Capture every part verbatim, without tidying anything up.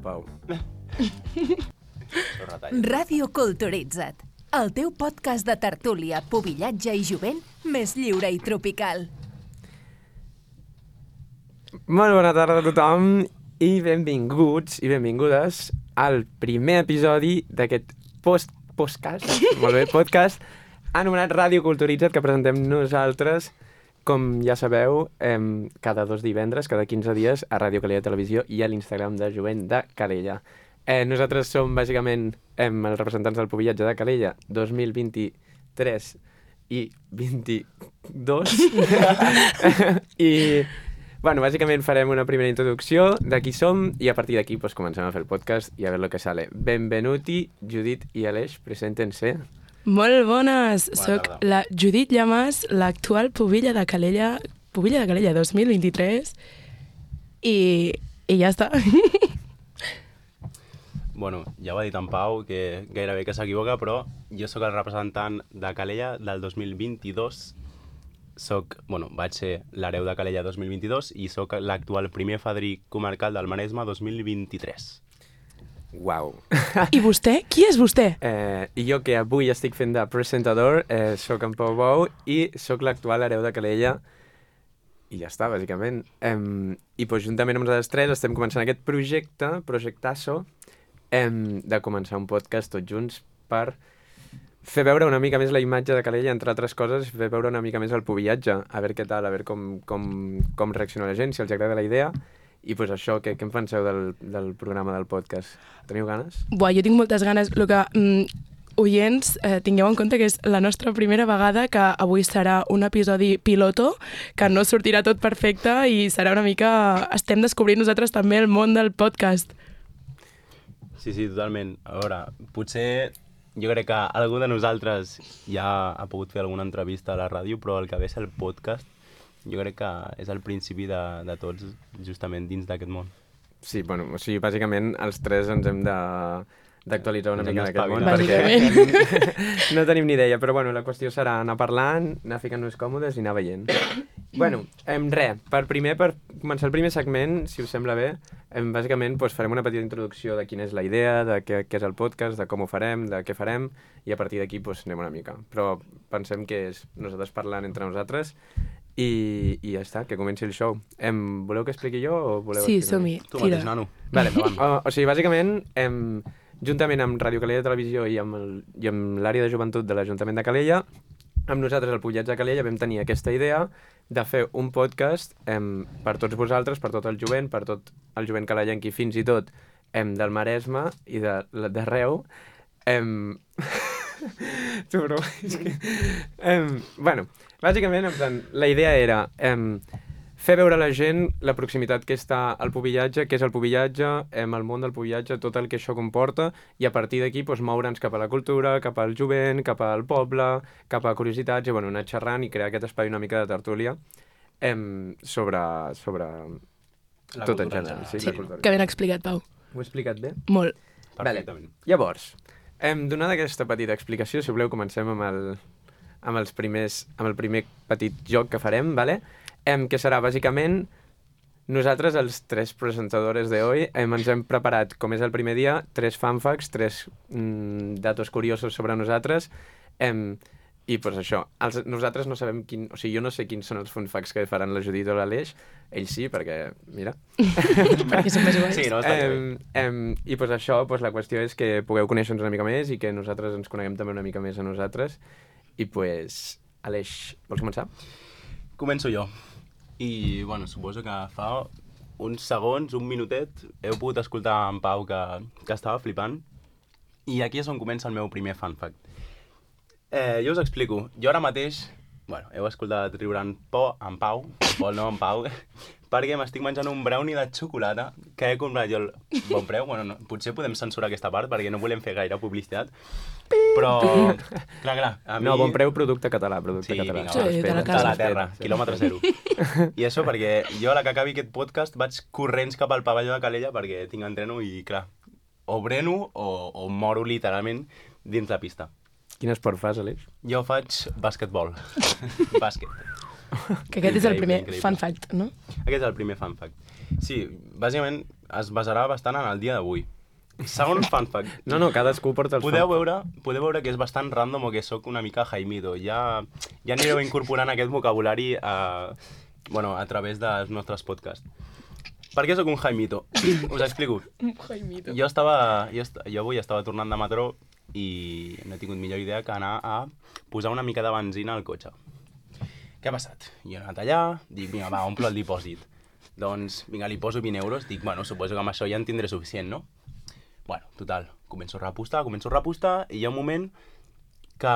Pau. Ràdio Culturitza't, el teu podcast de tertúlia, pubillatge i jovent més lliure i tropical. Molt bona tarda a tothom i benvinguts i benvingudes al primer episodi d'aquest post podcast, molt bé, podcast, anomenat Ràdio Culturitza't, que presentem nosaltres, com ja sabeu, eh, cada dos divendres, cada quinze dies, a Ràdio Calella Televisió i a l'Instagram de Jovent de Calella. Eh, nosaltres som, bàsicament, eh, els representants del pubillatge de Calella dos mil vint-i-tres i vint-i-dos. I, bueno, bàsicament farem una primera introducció de qui som i a partir d'aquí pues, comencem a fer el podcast i a veure lo que sale. Benvenuti, Judit i Aleix, preséntense. Molt bones! Bona Soc tarda. la Judit Llamas, l'actual pubilla de Calella, pubilla de Calella dos mil vint-i-tres i, i ja està. Bueno, ja ho ha dit en Pau, que gairebé que s'equivoca, però jo sóc el representant de Calella del dos mil vint-i-dos. Soc, bueno, vaig ser l'hereu de Calella dos mil vint-i-dos i sóc l'actual primer fadrí comarcal del Maresme dos mil vint-i-tres. Uau. I vostè? Qui és vostè? Eh, I jo, que avui estic fent de presentador, eh, sóc en Pau Bou i sóc l'actual hereu de Calella. I ja està, bàsicament. Eh, I pues, juntament amb nosaltres tres estem començant aquest projecte, projectasso, eh, de començar un podcast tots junts per fer veure una mica més la imatge de Calella, entre altres coses, fer veure una mica més el pubillatge, a veure què tal, a veure com, com, com reacciona la gent, si els agrada la idea. I pues això, què, què en penseu del, del programa del podcast? Teniu ganes? Buah, jo tinc moltes ganes. El que, mm, oients, eh, tingueu en compte que és la nostra primera vegada, que avui serà un episodi piloto, que no sortirà tot perfecte i serà una mica... Estem descobrint nosaltres també el món del podcast. Sí, sí, totalment. A veure, potser jo crec que algú de nosaltres ja ha pogut fer alguna entrevista a la ràdio, però el que ve és el podcast, jo crec que és el principi de, de tots, justament dins d'aquest món. Sí, bueno, o sigui, bàsicament els tres ens hem de d'actualitzar una Ens hem mica d'aquest món, d'espavilar. perquè no tenim ni idea, però bueno, la qüestió serà anar parlant, anar ficant-nos còmodes i anar veient. Bueno, em, res, per primer, per començar el primer segment, si us sembla bé, em, bàsicament doncs, farem una petita introducció de quina és la idea, de què, què és el podcast, de com ho farem, de què farem, i a partir d'aquí doncs, anem una mica. Però pensem que és nosaltres parlant entre nosaltres i, i ja està, que comenci el show. Em, voleu que expliqui jo o voleu Sí, explicar? som-hi. Tu Tira. mateix, nano. Vale, o, o sigui, bàsicament, em, juntament amb Ràdio Calella Televisió i amb, el, i amb l'àrea de joventut de l'Ajuntament de Calella, amb nosaltres, el Pubillatge de Calella, vam tenir aquesta idea de fer un podcast em, per tots vosaltres, per tot el jovent, per tot el jovent calellenc i fins i tot em, del Maresme i de- d'arreu. Em... tu, bro, és que... Em, bueno, bàsicament, en plan, la idea era em, fer veure a la gent la proximitat que està al pubillatge, què és el pubillatge, em, el món del pubillatge, tot el que això comporta, i a partir d'aquí doncs, moure'ns cap a la cultura, cap al jovent, cap al poble, cap a curiositats, i bueno, anar xerrant i crear aquest espai una mica de tertúlia em, sobre, sobre La tot en cultura en general. general. Sí, Sí. la cultura. Que ben explicat, Pau. Ho he explicat bé? Molt. Perfectament. Vale. Llavors, em, donada aquesta petita explicació, si voleu, comencem amb el, amb els primers, amb el primer petit joc que farem, vale? Em, que serà, bàsicament, nosaltres, els tres presentadores d'avui, em, ens hem preparat, com és el primer dia, tres fanfacts, tres mm, datos curiosos sobre nosaltres, em, i pues això, els, nosaltres no sabem quin... O sigui, jo no sé quins són els fanfacts que faran la Judit o l'Aleix, ells sí, perquè, mira... Perquè som més guais. Sí, no, està bé. Em, em, I pues això, pues, la qüestió és que pugueu conèixer-nos una mica més i que nosaltres ens coneguem també una mica més a nosaltres. I pues, Aleix, vols començar? Començo jo. I, bueno, suposo que fa uns segons, un minutet, heu pogut escoltar en Pau que, que estava flipant. I aquí és on comença el meu primer fun fact. Eh, jo us explico. Jo ara mateix, bueno, heu escoltat riure en Pau, en Pau, Pol no, en Pau, perquè m'estic menjant un brownie de xocolata que he comprat jo al bon preu. Bueno, no, potser podem censurar aquesta part perquè no volem fer gaire publicitat. Però, clar, clar, a mi... No, bon preu, producte català, producte Sí, català. vinga, Sí, va, de la de casa. la terra, Sí. quilòmetre zero. I això perquè jo a la que acabi aquest podcast vaig corrents cap al pavelló de Calella perquè tinc entreno i, clar, o breno o, o moro literalment dins la pista. Quin esport fas, Aleix? Jo faig bàsquetbol. Bàsquet. Que aquest és el Increïble, primer increïble. fun fact, no? Aquest és el primer fun fact. Sí, bàsicament es basarà bastant en el dia d'avui. Segon fun fact. No, no, cadascú porta els Podeu fun veure, podeu veure que és bastant random o que sóc una mica Jaimito. Ja, ja anireu incorporant aquest vocabulari a, bueno, a través dels nostres podcasts. Per què sóc un Jaimito? Us explico. Un Jaimito. Jo, estava, jo, est jo avui estava tornant de metró i no he tingut millor idea que anar a posar una mica de benzina al cotxe. Què ha passat? Jo he anat allà, dic, vinga, va, omplo el dipòsit. Doncs, vinga, li poso vint euros, dic, bueno, suposo que amb això ja en tindré suficient, no? Bueno, total, començo a repostar, començo a repostar, i hi ha un moment que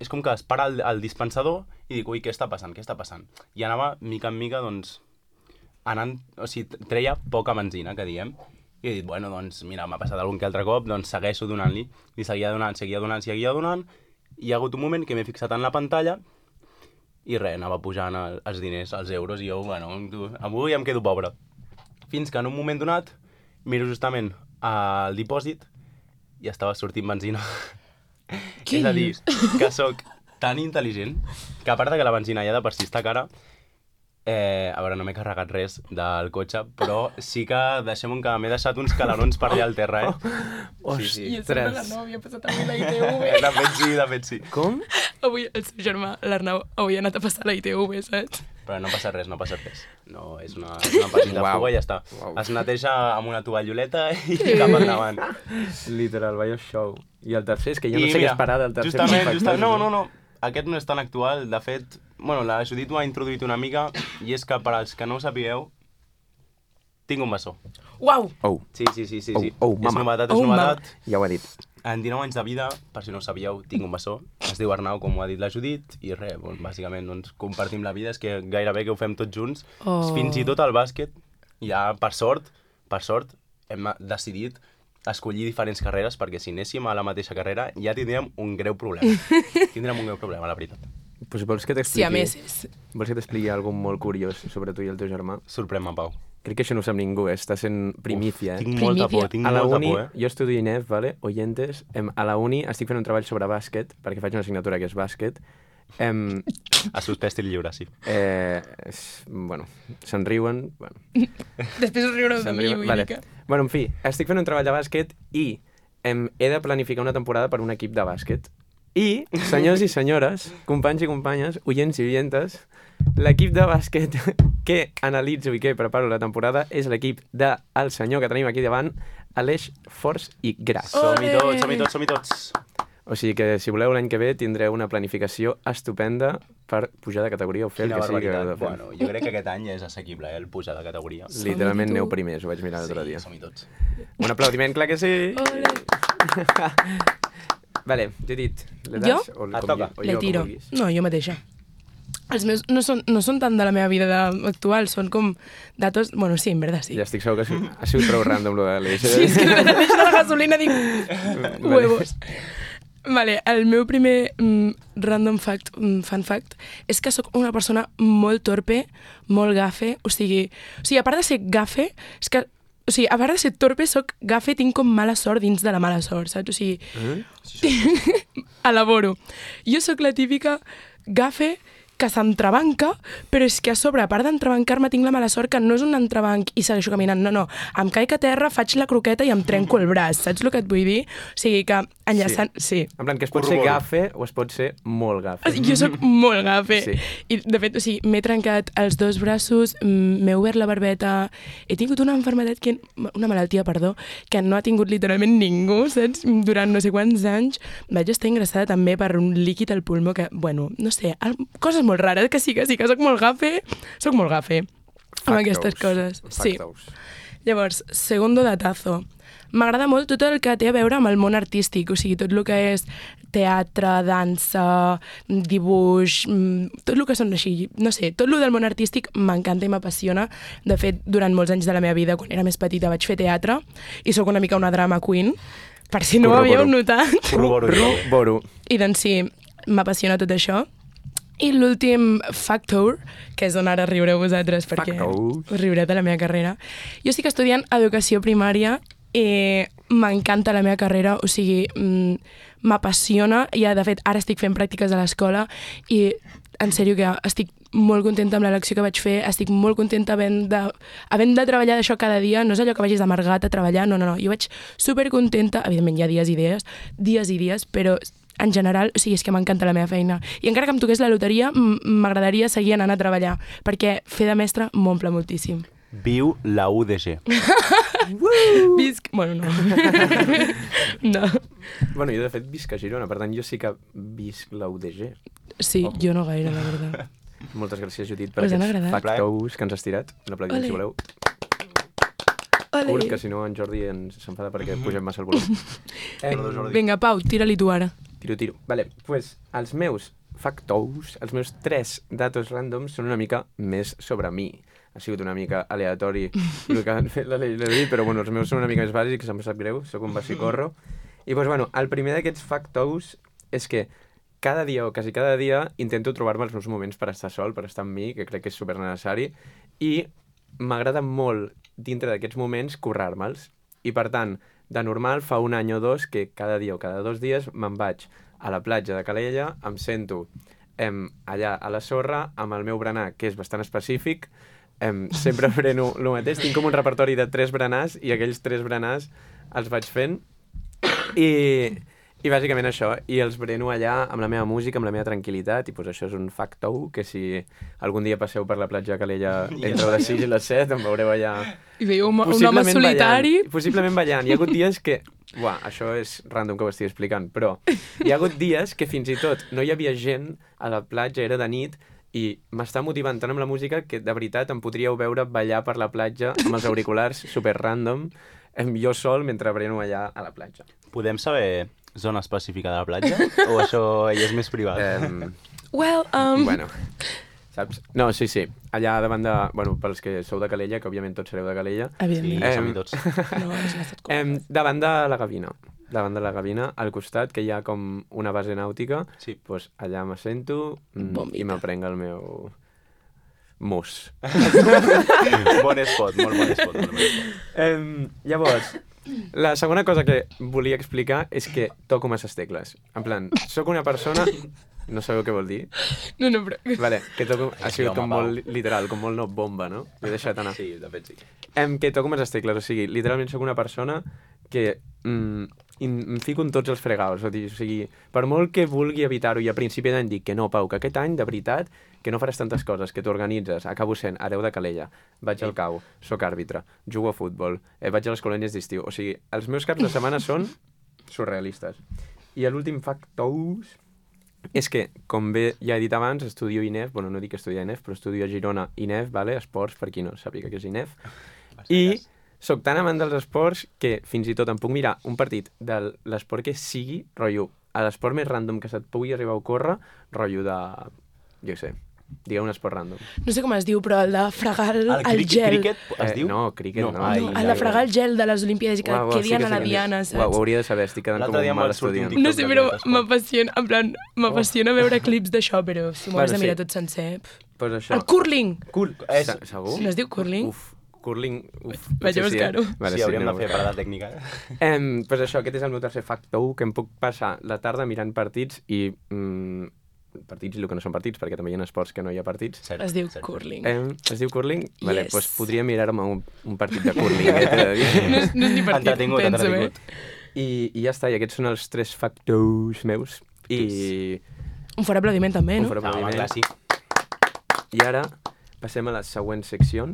és com que es para el, el dispensador i dic, ui, què està passant, què està passant? I anava, mica en mica, doncs, anant, o sigui, treia poca benzina, que diem, i he dit, bueno, doncs, mira, m'ha passat algun que altre cop, doncs segueixo donant-li. I seguia donant, seguia donant, seguia donant, i hi ha hagut un moment que m'he fixat en la pantalla i res, anava pujant el, els diners, els euros, i jo, bueno, tu, avui em quedo pobre. Fins que en un moment donat miro justament al dipòsit i estava sortint benzina. Què És a dir, dius? que sóc tan intel·ligent que a part de que la benzina ja de per si està cara, Eh, a veure, no m'he carregat res del cotxe, però sí que deixem que m'he deixat uns calarons per allà al terra, eh? Sí, sí. I a sobre l'Arnau havia passat avui la I T V. De fet sí, de fet sí. Com? Avui el seu germà, l'Arnau, avui ha anat a passar la I T V, saps? Però no passa res, no passa res. No, és una, és una petita Uau. fuga i ja està. Uau. Es neteja amb una tovalloleta i cap endavant. Literal, vaya show. I el tercer, és que jo no I sé què mira, esperar del tercer. justament, factor. justament, no, no, no. Aquest no és tan actual, de fet, bueno, la Judit ho ha introduït una mica, i és que per als que no ho sapigueu, tinc un bessó. Uau! Oh, Sí, sí, sí, sí. Oh, sí. oh, és mama. novetat, és Oh, mama. novetat. ja ho he dit. En dinou anys de vida, per si no ho sabíeu, tinc un bessó. Es diu Arnau, com ho ha dit la Judit, i res, bon, bàsicament doncs, compartim la vida, és que gairebé que ho fem tots junts. Oh. Fins i tot al bàsquet, ja per sort, per sort, hem decidit escollir diferents carreres, perquè si anéssim a la mateixa carrera ja tindríem un greu problema. Tindríem un greu problema, la veritat. Pues vols que Sí, a t'expliqui... més és... Vols que t'expliqui alguna molt curiós sobre tu i el teu germà? Sorprèn-me, Pau. Crec que això no ho sap ningú, eh? Està sent primícia, eh? Tinc molta Primícia. por, tinc A la molta uni, por, eh? jo estudio I N E F, vale? Oyentes, em, a la uni estic fent un treball sobre bàsquet, perquè faig una assignatura que és bàsquet. Em, A suspès i lliure, sí. eh, és, bueno, se'n riuen, bueno, Després us riureu de se'n mi, riuen, vull vale. dir que... Bueno, en fi, estic fent un treball de bàsquet i em, he de planificar una temporada per un equip de bàsquet. I, senyors i senyores, companys i companyes, oients i oientes, l'equip de bàsquet que analitzo i que preparo la temporada és l'equip del senyor que tenim aquí davant, Aleix Forç i Gras. Som-hi Ole! tots, som-hi tots, som-hi tots. O sigui que, si voleu, l'any que ve tindreu una planificació estupenda per pujar de categoria o fer Quina el que sigui que heu de barbaritat. fer. Bueno, jo crec que aquest any és assequible, eh, el pujar de categoria. Som-hi Literalment tu. aneu primers, ho vaig mirar l'altre dia. Sí, som-hi tots. Un aplaudiment, clar que sí! Ole! Vale, Judit, le das? Jo? O, Et com toca. jo- o Le jo, com tiro. vulguis. No, jo mateixa. Els meus no són, no són tant de la meva vida de, actual, són com datos... Bueno, sí, en verdad, sí. Ja estic segur que ha sigut, ha sigut prou random, lo de l'Aleix. Sí, és que de repente de la gasolina dic... Vale. Huevos. Vale, el meu primer mm, random fact, mm, fun fact, és que sóc una persona molt torpe, molt gafe, o sigui, o sigui, a part de ser gafe, és que, o sigui, a part de ser torpe, sóc gafe, tinc com mala sort dins de la mala sort, saps? O sigui, Eh? elaboro. Jo sóc la típica gafe que s'entrebanca, però és que a sobre, a part d'entrebancar-me, tinc la mala sort que no és un entrebanc i segueixo caminant, no, no. Em caic a terra, faig la croqueta i em trenco el braç, saps el que et vull dir? O sigui que enllaçant... Sí. En plan, que es pot ser Corroboro. gafe o es pot ser molt gafe. Jo sóc molt gafe. Sí. I, de fet, o sigui, m'he trencat els dos braços, mm, m'he obert la barbeta, he tingut una malaltia, que, una malaltia, perdó, que no ha tingut literalment ningú, saps? Durant no sé quants anys vaig estar ingressada també per un líquid al pulmó que, bueno, no sé, el, coses molt rares, que sí, que sí, que sóc molt gafe, sóc molt gafe amb aquestes coses. Sí. Factos. Llavors, segundo datazo. M'agrada molt tot el que té a veure amb el món artístic, o sigui, tot el que és teatre, dansa, dibuix, mm, tot el que són així, no sé, tot el del món artístic m'encanta i m'apassiona. De fet, durant molts anys de la meva vida, quan era més petita, vaig fer teatre i sóc una mica una drama queen, per si no ho Corroboro. havíeu notat. Corroboro. Boro. I doncs sí, m'apassiona tot això. I l'últim factor, que és on ara riureu vosaltres, perquè Factors. us riureu de la meva carrera. Jo estic estudiant educació primària i m'encanta la meva carrera, o sigui, m'apassiona, i de fet ara estic fent pràctiques a l'escola i en sèrio que estic molt contenta amb l'elecció que vaig fer, estic molt contenta havent de, havent de treballar d'això cada dia, no és allò que vagis d'amargat a treballar, no, no, no, jo vaig supercontenta, evidentment hi ha dies i dies, dies i dies, però en general, o sigui, és que m'encanta la meva feina. I encara que em toqués la loteria, m'agradaria seguir anant a treballar, perquè fer de mestre m'omple moltíssim. Viu la U D G. Visc... Bueno, no. No. Bueno, jo de fet visc a Girona, per tant jo sí que visc la U D G. Sí, oh. Jo no gaire, la veritat. Moltes gràcies, Judit, per aquests factous que ens has tirat. Un aplaudiment, si voleu. Curt, que si no en Jordi ens s'enfada perquè pugem massa el volum. Eh, Vinga, Pau, tira-li tu ara. Tiro, tiro. Vale, doncs pues, els meus factous, els meus tres datos ràndoms són una mica més sobre mi. Ha sigut una mica aleatori el que han fet la Lili, però bueno, els meus són una mica més bàsics, em sap greu, sóc un bacicorro. I doncs, bueno, el primer d'aquests factous és que cada dia o quasi cada dia intento trobar-me els meus moments per estar sol, per estar amb mi, que crec que és supernecessari, i m'agrada molt, dintre d'aquests moments, currar-me'ls. I per tant, de normal, fa un any o dos que cada dia o cada dos dies me'n vaig a la platja de Calella, em sento em, allà a la sorra, amb el meu berenar, que és bastant específic, em, sempre freno el mateix, tinc com un repertori de tres berenars i aquells tres berenars els vaig fent i, i bàsicament això, i els breno allà amb la meva música, amb la meva tranquil·litat, i pues això és un factou que si algun dia passeu per la platja de Calella entre les sis i les set em veureu allà i veieu un, un home solitari ballant, possiblement ballant. Hi ha hagut dies que Uah, això és random que ho estic explicant, però hi ha hagut dies que fins i tot no hi havia gent a la platja, era de nit, i m'està motivant tant amb la música que de veritat em podríeu veure ballar per la platja amb els auriculars super random, jo sol mentre breno allà a la platja. Podem saber zona específica de la platja? O això ja és més privat? Um, well, um... Bueno, saps? No, sí, sí. Allà davant de... Bueno, pels que sou de Calella, que òbviament tots sereu de Calella. Evidentment. Sí, som-hi tots. No, és l'estat um, davant de la Gavina. Davant de la Gavina, al costat, que hi ha com una base nàutica, sí. Pues allà m'assento mm, i m'aprenc el meu mus. Bon espot, molt bon espot. Molt bon espot. Um, llavors, la segona cosa que volia explicar és que toco masses tecles. En plan, sóc una persona... No sabeu què vol dir? No, no, però... Vale, que toco... Ha sigut home, com molt literal, com molt no bomba, no? L'he deixat anar. Sí, de fet sí. Em, que toco masses tecles, o sigui, literalment sóc una persona que mm, em fico en tots els fregados. O sigui, per molt que vulgui evitar-ho i a principi d'any dic que no, Pau, que aquest any, de veritat, que no faràs tantes coses, que t'organitzes, acabo sent hereu de Calella, vaig al cau, sóc àrbitre, jugo a futbol, eh, vaig a les colònies d'estiu. O sigui, els meus caps de setmana són surrealistes. I l'últim factous és que, com bé ja he dit abans, estudio I N E F, bueno, no dic estudiar I N E F, però estudio a Girona I N E F, vale? Esports, per qui no sàpiga què és I N E F. I sóc tan amant dels esports que fins i tot em puc mirar un partit de l'esport que sigui, rotllo, a l'esport més random que se't pugui arribar a ocórrer, rotllo de, jo sé, digueu un esport random. No sé com es diu, però el de fregar el, el, el gel. Cricket es eh, diu? No, cricket no. no, no el de fregar el gel de les Olimpíades i que uau, uau, quedien sí que a la sí diana, saps? Uau, ho hauria de saber, estic quedant com un mal estudiant. No sé, però m'apassiona, en plan, m'apassiona veure clips d'això, però si m'ho has de mirar tot sencer... Pues això. El curling! Cur és... Segur? No es diu curling? Uf, curling... Uf, vaig a buscar-ho. Sí, eh? vale, sí, hauríem sí, de fer parada tècnica. Eh, pues això, aquest és el meu tercer factor, que em puc passar la tarda mirant partits i... Mm, partits i el que no són partits, perquè també hi ha esports que no hi ha partits. Cert, es diu cert. Curling. Eh, es diu curling? Yes. Vale, doncs podria mirar-me un, un partit de curling, eh, t'he de dir. No és, no és ni partit, entretingut, penso, entretingut. eh? I, I ja està, i aquests són els tres factors meus. I... Un fort aplaudiment també, no? Un fort aplaudiment. No, sí. I ara passem a la següent secció.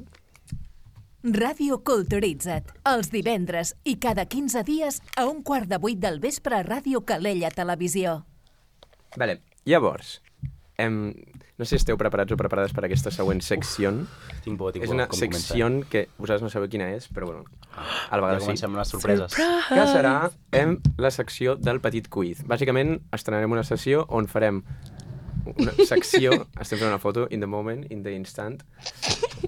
Ràdio Culturitza't, els divendres i cada quinze dies a un quart de vuit del vespre a Ràdio Calella Televisió. Vale, llavors, em, no sé si esteu preparats o preparades per aquesta següent secció. Tinc por, tinc por. És una com secció comença. que vosaltres no sabeu quina és, però bueno, a la vegada Ja sí. comencem amb les sorpreses. Que serà em, la secció del petit quiz. Bàsicament, estrenarem una sessió on farem una secció, estem fent una foto, in the moment, in the instant.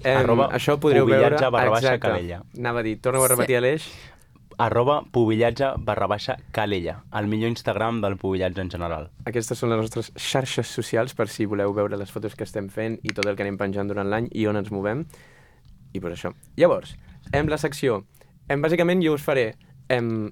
Em, Arroba això podreu veure... pubillatge barra baixa exacte. Calella. Anava a dir, torna-ho a repetir a l'eix. Arroba pubillatge barra baixa Calella, el millor Instagram del pubillatge en general. Aquestes són les nostres xarxes socials per si voleu veure les fotos que estem fent i tot el que anem penjant durant l'any i on ens movem. I pues això. Llavors, en la secció, em, bàsicament jo us faré em,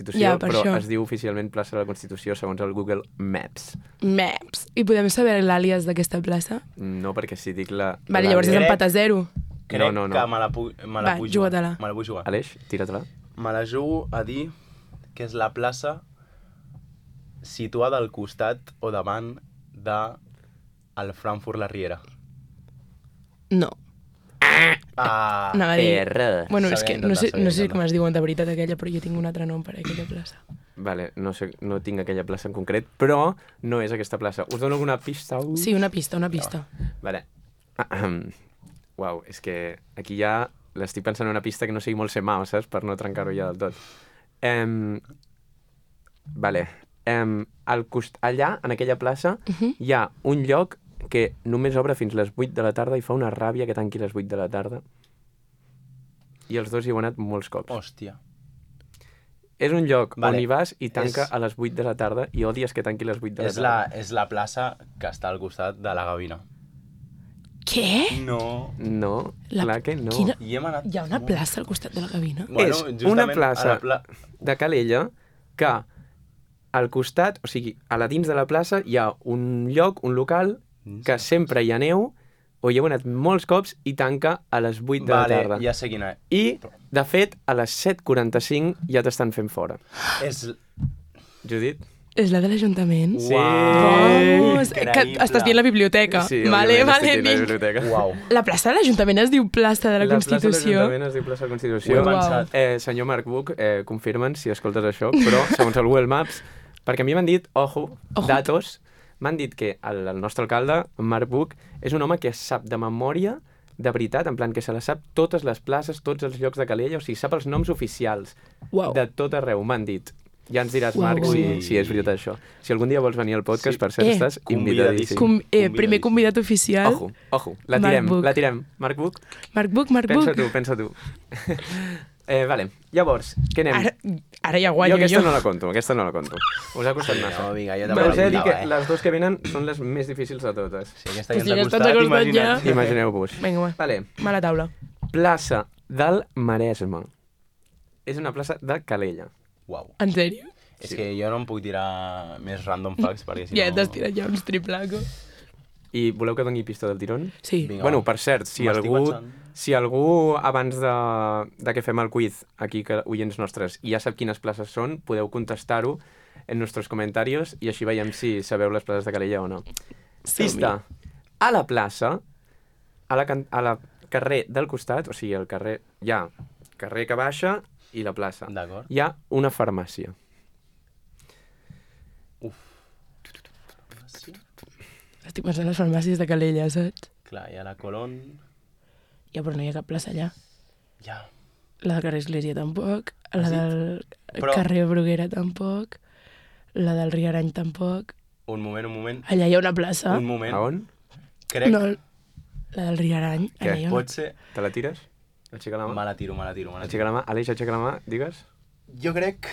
Constitució, Ja, per però això. es diu oficialment plaça de la Constitució segons el Google Maps. Maps. I podem saber l'àlies d'aquesta plaça? No, perquè si dic la... Vale, la- llavors és Crec- empat a zero. Crec no, no, no. que me la, pu me la Va, vull juga-te-la. jugar. Me la vull jugar. Aleix, tira-te-la. Me la jugo a dir que és la plaça situada al costat o davant de el Frankfurt La Riera. No. Ah, Anava a dir... R. Bueno, és S'havia que no sé, d'intentar, no s'havia sé com es diuen de veritat aquella, però jo tinc un altre nom per a aquella plaça. Vale, no sé, no tinc aquella plaça en concret, però no és aquesta plaça. Us dono alguna pista? Sí, una pista, una pista. Vale. Uau, és que aquí ja l'estic pensant en una pista que no sigui molt semà, saps? Per no trencar-ho ja del tot. Um, vale. Um, al cost... Allà, en aquella plaça, Uh -huh. hi ha un lloc que només obre fins les vuit de la tarda i fa una ràbia que tanqui les vuit de la tarda. I els dos hi heu anat molts cops. hòstia. És un lloc Vale. on hi vas i tanca És- a les vuit de la tarda i odies que tanqui a les vuit de la És la, tarda. és la plaça que està al costat de la Gavina. Què? No. No, La- clar que no. Quina- I hem anat... Hi ha una plaça al costat de la gavina? És justament una a plaça la pla... de Calella que al costat, o sigui, a la dins de la plaça hi ha un lloc, un local, que sempre hi ha neu, o hi heu anat molts cops i tanca a les vuit de Vale, la tarda. ja sé quina és. I, de fet, a les set quaranta-cinc ja t'estan fent fora. És... Judit? És la de l'Ajuntament? Sí. Vamos, que Increïble. estàs dient la biblioteca. Sí, vale, òbviament, vale, estic dient la vinc. biblioteca. Uau. La plaça de l'Ajuntament es diu plaça de la, La plaça de Constitució. l'Ajuntament es diu plaça de la Ho Constitució. he Uau. pensat. Eh, senyor Marc Buch, eh, confirmen si escoltes això, però segons el Google Maps, perquè a mi m'han dit, ojo, Ojo. datos, m'han dit que el, el nostre alcalde, en Marc Buch, és un home que sap de memòria, de veritat, en plan que se la sap totes les places, tots els llocs de Calella, o sigui, sap els noms oficials Uau. de tot arreu, m'han dit. Ja ens diràs, Uau, Marc, uau, si, uau. si és veritat això. Si algun dia vols venir al podcast, Sí. per cert, Eh, estàs convidadíssim. invitadíssim. Com, eh, Convidadíssim. primer convidat oficial, Ojo, ojo, la Marc tirem, Buch. la tirem. Marc Buch, Marc Buch, Marc pensa Buch. tu, pensa tu. Eh, vale, llavors, què anem? Ara, ara ja guanyo jo aquesta jo. no la conto, aquesta no la conto. Us ha costat massa. No, vinga, jo Però també us he de dir que eh? les dues que venen són les més difícils de totes. Si aquesta Pues ja si ens ha aquesta ens ha costat, costat ja. imagina't. Imagineu-vos. Vinga, va. Vale, Mala taula. plaça del Maresme. És una plaça de Calella. Uau. En sèrio? És que jo no em puc tirar més random facts, perquè si Ja no... t'has tirat ja uns triplacos. I voleu que doni pista del tirón? Sí. Vinga, Bueno, va. per cert, si M'estic algú, pensant. si algú abans de, de que fem el quiz, aquí, que oients nostres, ja sap quines places són, podeu contestar-ho en nostres comentaris i així veiem si sabeu les places de Calella o no. Som-hi. Pista. A la plaça, a la, can- a la carrer del costat, o sigui, el carrer, hi ha carrer que baixa i la plaça. D'acord. Hi ha una farmàcia. Sí. Estic pensant en les farmàcies de Calella, saps? Clar, hi ha la Colón... Ja, però no hi ha cap plaça allà. Ja. La del carrer Església tampoc, la Has dit? del Però- carrer Bruguera tampoc, la del Riarany tampoc. Un moment, un moment. Allà hi ha una plaça. Un moment. A on? Crec... No, la del Riarany. Què? Allà hi ha una... Pot ser... Te la tires? Aixeca la mà. Me la tiro, me la tiro, me la Aixeca tiro. la mà. Aleix, aixeca la mà, digues. Jo crec